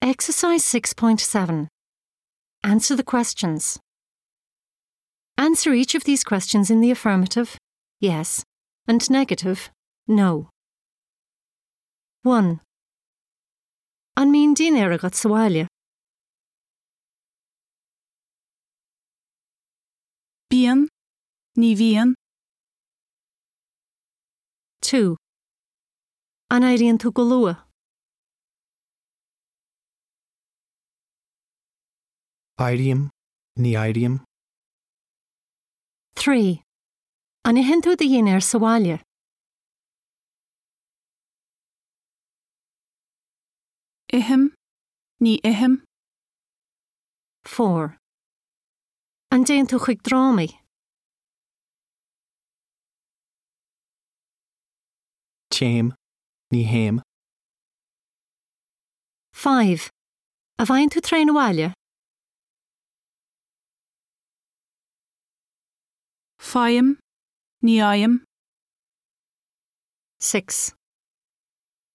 Exercise 6.7. Answer the questions. Answer each of these questions in the affirmative, yes, and negative, no. 1. An mbíonn dinnéar agat sa bhaile? Bíonn, ní bhíonn. 2. An éiríonn tú go luath? Éirím, ní éirím. 3. An itheann tú do dhinnéar sa bhaile? Ithim, ní ithim. 4. An dtéann tú chuig drámaí? Téim, ní théim. 5. An bhfaigheann tú traein abhaile? Faighim, ní fhaighim. 6.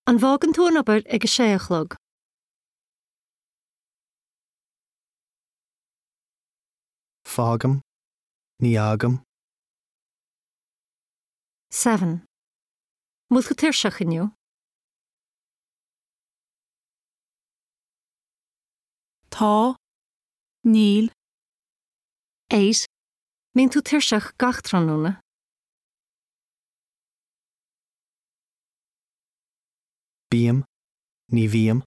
An bhfágann tú an obair ag a sé a chlog? Fágaim, ní fhágaim. 7. An bhfuil tú tuirseach inniu? Tá, níl. 8. Mbíonn tú tuirseach gach tráthnóna? Bím, ní bhím.